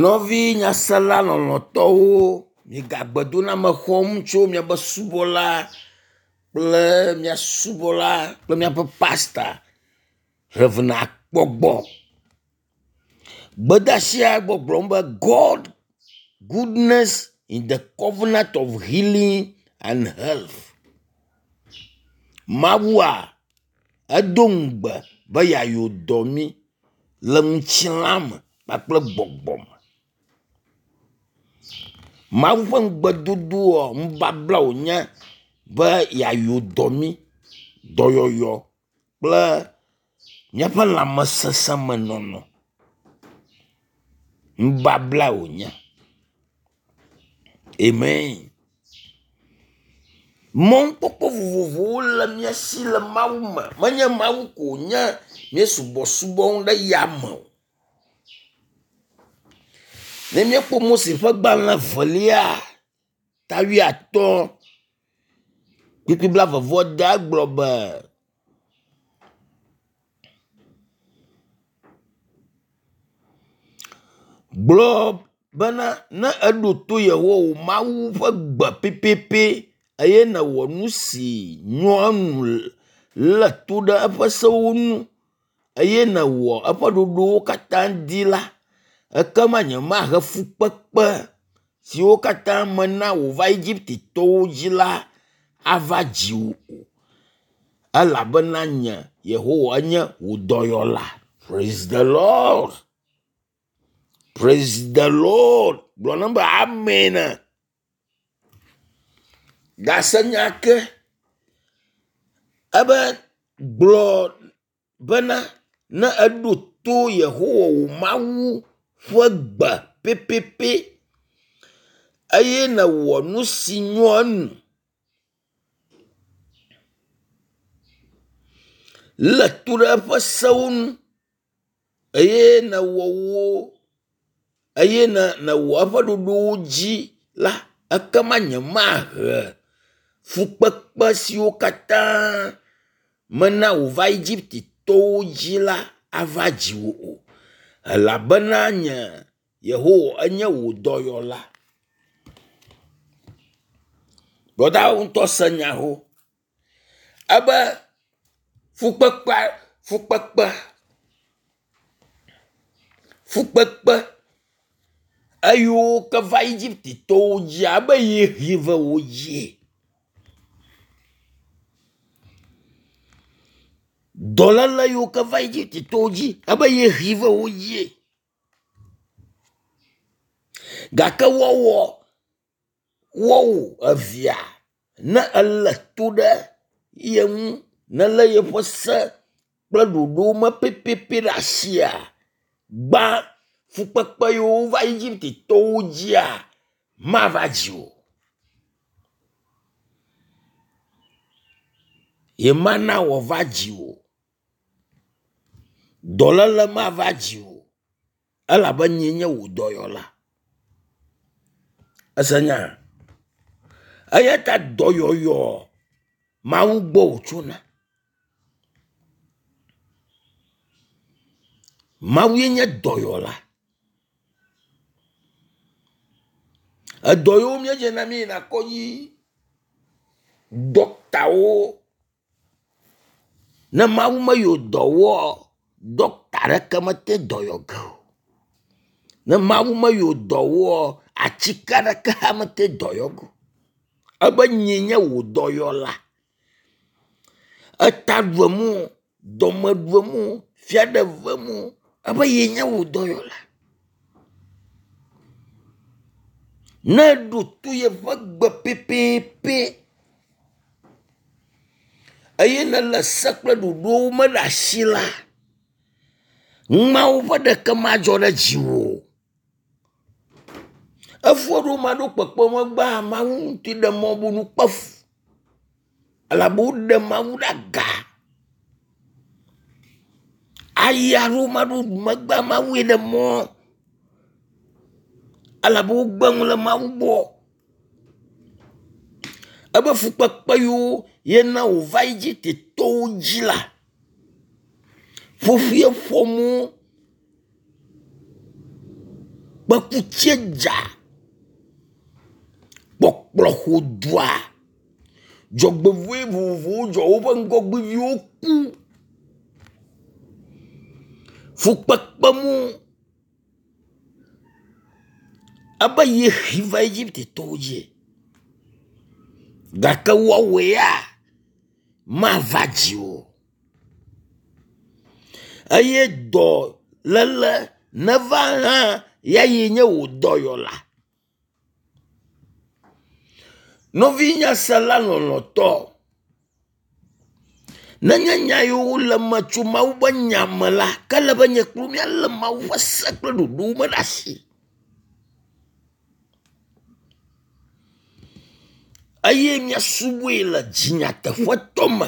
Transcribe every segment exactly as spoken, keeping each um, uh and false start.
Nɔvi nyasela lɔlɔ̃tɔwo, miga gbedoname xɔm tso miaƒe subɔla kple mia subɔla kple miaƒe pasta Rev. Akpɔ gbɔ. Gbedeasia gbɔgblɔm be God goodness in the covenant of healing and health. Mawua edo ŋugbe be yeayɔ dɔ mí le ŋutilã me kpakple gbɔgbɔ me. Mawu ƒe ŋugbedodoa nubabla wònye be yeayɔ dɔ mí, dɔyɔyɔ kple míaƒe lãmesesẽmenɔnɔ. Nubabla wònye. Amen. Mɔnukpɔkpɔ vovovowo le mía si le Mawu me. Menye Mawu ko wònye míesubɔsubɔm ɖe yame o. Ne míekpɔ Mose ƒe gbalẽ evelia ta wuiatɔ̃ kpukpui blaeve vɔ ade egblɔ be, gblɔ bena ne èɖo to Yehowa wò Mawu ƒe gbe pɛpɛpɛ eye nèwɔ nu si nyoa enu lé to ɖe eƒe sewo ŋu eye nèwɔ eƒe ɖoɖowo katã dzi la, ekema nyemahe fukpekpe siwo katã mena wòva Egiptetɔwo dzi la ava dziwò o. Elabena nye Yehowa nye wò dɔyɔla. Praise the Lord. Praise the Lord. Gblɔ nam be amen. Gase nya ke ebe gblɔ bena ne eɖo to Yehowa wò Mawu ƒe gbe pɛpɛpɛ eye nèwɔ nu si nyoa enu lé to ɖe eƒe sewo ŋu eye nèwɔ wo eye ne nèwɔ eƒe ɖoɖowo dzi la, ekema nyemahe fukpekpe siwo katã mena wòva Egiptetɔwo dzi la ava dziwò o. Elabena nye Yehowa enye wò dɔyɔla. Brɔdawo ŋutɔ se nya ho. Ebe fukpekpe fukpekpe fukpekpe eyiwo ke va Egiptetɔwo dzia ebe ye hɛ ve wo dzie. Dɔléle yiwo ke va Egiptetɔwo dzi ebe ye hɛ ve wo dzie. Gake woawɔ woawò evia ne elé to ɖe ye ŋu nelé yeƒe se kple ɖoɖowo me pɛpɛpɛ ɖe asia, gbã fukpekpe yiwo va Egiptetɔwo dzia mava dziwò o. Yemana wòava dziwò o. Dɔléle mava dziwò o elabe nyee nye wò dɔyɔla. Ese nya? Eya ta dɔyɔyɔ Mawu gbɔ wòtsona. Mawue nye dɔyɔla. Edɔ yiwo míedzena míeyina kɔdzi, ɖɔktawo ne Mawu meyi dɔ wɔa, ɖɔkta ɖeke mete dɔ yɔ ge o. Ne Mawu meyi dɔ wɔa, atike aɖeke hã mete dɔ yɔ ge o. Ebe nyee nye wò dɔyɔla. Eta ɖuem o, dɔme ɖuem o, fia ɖe vem o, ebe yee nye wò dɔyɔla. Ne eɖo to yeƒe gbe pɛpɛpɛ eye nèle se kple ɖoɖowo me ɖe asi la, numawo ƒe ɖeke madzɔ ɖe dziwò o. Efu aɖewo ma ɖo kpekpe megbea, Mawu ŋutɔe ɖe mɔ be nu kpe fu elabe woɖe Mawu ɖe aga. Ayi aɖewo ma ɖo megbea, Mawue ɖe mɔ elabe wogbe nu le Mawu gbɔ. Ebe fukpekpe yiwo yena wòva Egiptetɔwo dzi la, ƒoƒue ƒom wo. Kpekutsie dza. Kpɔkplɔ ƒo dua. Dzɔgbevɔ̃e vovovowo dzɔ. Woƒe ŋgɔgbeviwo ku. Fukpekpe mu ebe yehe va Egiptetɔwo dzi gake woawo ya mava dziwò o. Eye dɔléle neva hã ya ye nye wò dɔyɔla. Nɔvi nyasela lɔlɔ̃tɔ, nenye nya yiwo le eme tso Mawu ƒe nya me la, ke ele be nye kple wò míalé Mawu ƒe se kple ɖoɖowo me ɖe asi. Eye míasubɔe le dzi nyateƒetɔ me.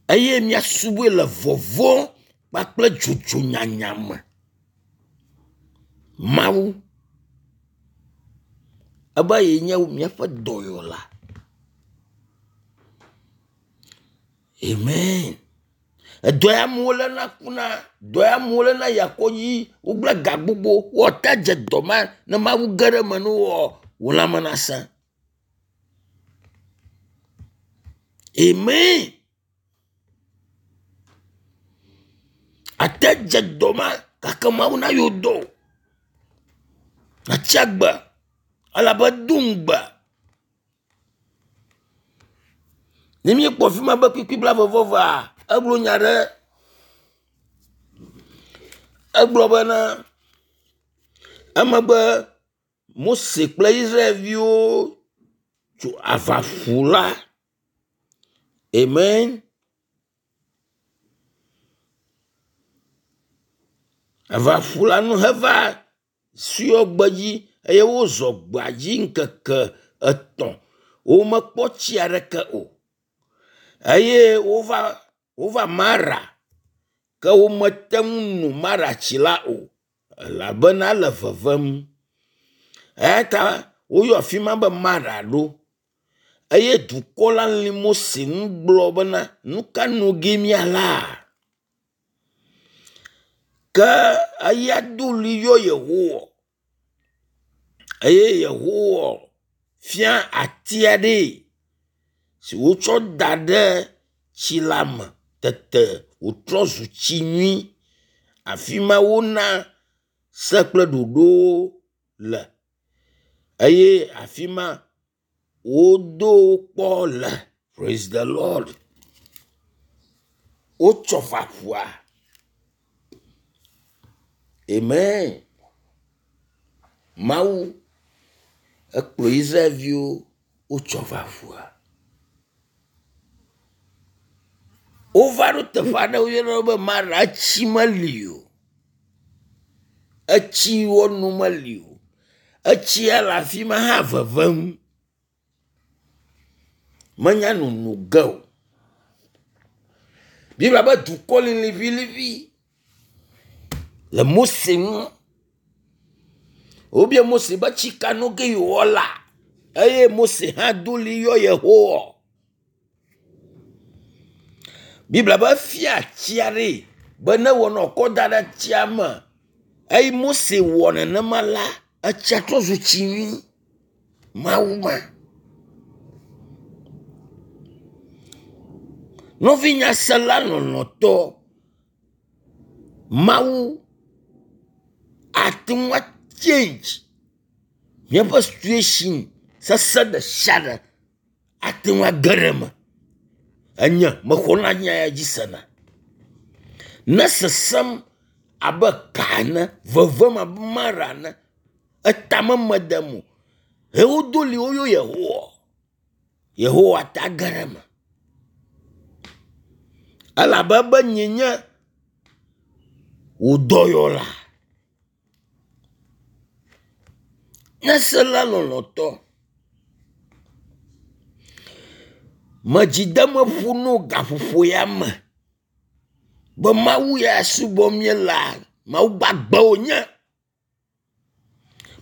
Eye míasubɔe le vɔvɔ̃ kpakple dzodzo nyanya me. Mawu ebe yee nye míaƒe dɔyɔla. Amen. Edɔ ya amewo léna kuna, dɔ ya amewo léna yia kɔdzi, wogblẽ ga gbogbo, woate dze dɔ ma ne Mawu ge ɖe eme ne woa, wò lãme nasẽ. Amen. Ate dze dɔ ma gake Mawu na yewo dɔ o. Natsi agbe elabe edo ŋugbe. Ne míekpɔ fi ma be kpukpui blaeve-vɔ-evea, egblɔ nya ɖe. Egblɔ bena emegbe Mose kple Israelviwo tso aʋaƒu la. Amen. Aʋaƒu la nu heva Sior gbedzi eye wozɔ gbea dzi ŋkeke etɔ̃. Womekpɔ tsi aɖeke o. Eye wova wova Mara ke womete ŋu no Mara tsi la o elabena ele vevem. Eya ta woyɔ afi ma be Mara ɖo. Eye dukɔ la lĩ Mose ŋu gblɔ bena, nu ka no ge míala? Ke eya do ɣli yɔ Yehowa eye Yehowa fia ati aɖee si wotsɔ da ɖe tsi la me tete wòtrɔ zu tsi nyui. Afi ma wona se kple ɖoɖowo le eye afi ma wodo wo kpɔ le. Praise the Lord. Wotsɔ va ƒua. Amen. Mawu ekplɔ Israelviwo wotsɔ va ƒua. Wova ɖo teƒe aɖe woyɔna be Mara, etsi meli o. Etsi wɔnu meli o. Etsia le afi ma hã vevem. Menya nono ge o. Biblia be dukɔ li liʋiliʋi le Mose ŋu. Wobia Mose be tsi ka no ge yewoala eye Mose hã do ɣli yɔ Yehowa. Biblia be efia tsi aɖee be ne wònɔ kɔ da ɖe tsia me eye Mose wɔ nenema la, etsia trɔ zu tsi nyui. Mawu ma. Nɔvi nyasela lɔlɔ̃tɔ, Mawu ate ŋu achange míaƒe situation sesẽ ɖe sia ɖe ate ŋu age ɖe eme. Enye mexɔna nya ya dzi sena. Ne sesẽm abe ka ene, vevem abe mara ene, etame medem o. He wodo ɣli woyɔ Yehowa. Yehowa ta ge ɖe eme. Elabe be nyee nye wò dɔyɔla. Nyasela lɔlɔ̃tɔ, medzideme ƒo no gaƒoƒo ya me be Mawu ya subɔm míelea, Mawu gbagbe wònye.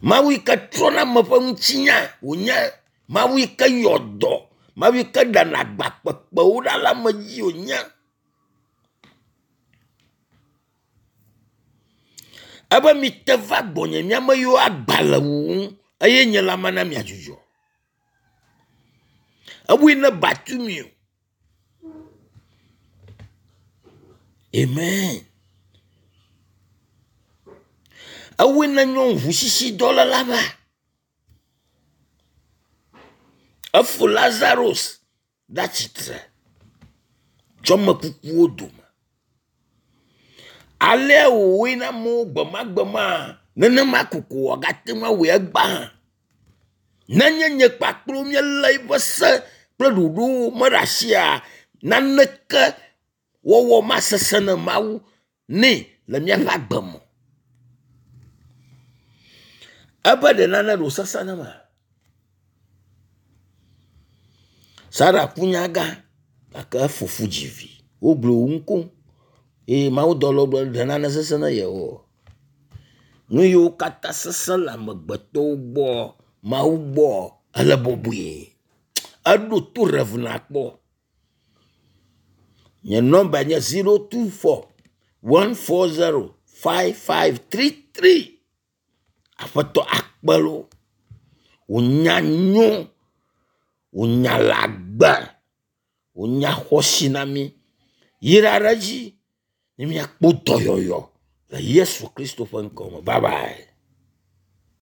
Mawu yi ke trɔna ame ƒe ŋutinya wònye. Mawu yi ke yɔ dɔ. Mawu yi ke ɖena agba kpekpewo ɖa le ame dzi wònye. Ebe mite va gbɔnye miame yiwo agba le wuwum eye nye la mana miadzudzɔ. Ewoe ne Bartimeo. Amen. Ewoe ne nyɔnu ʋusisidɔléla va. Efo Lazarus ɖe atsitre tso ame kukuwo dome. Alea wòwɔe na amewo gbemagbema, nenema koko wòagate ŋu awɔe egbea hã. Nenye nye kpakple wò míelé eƒe se kple ɖoɖowo me ɖe asia, naneke wɔwɔ masesẽ ne Mawu nɛ le míaƒe agbe me. Ebe ɖe nane ɖo sesẽ ne ma? Sara ku nyagã gake efo fu dzi vi. Wogblɔ wò ŋu eye mawudɔlawo gblɔ ɖe nane sesẽ ne Yehowa. Nu yiwo katã sesẽ le amegbetɔwo gbɔ, Mawu gbɔ ele bɔbɔe. Eɖo to Rev nakpɔ. Nye nɔmba nye zero two four one four zero five five three three. Aƒetɔ akpe loo. Wò nya nyo, wò nya le agbe, wò nya xɔasi na mí. Yra ɖe edzi ne míakpɔ dɔyɔyɔ le Yesu Kristo ƒe ŋkɔ me. Bye bye.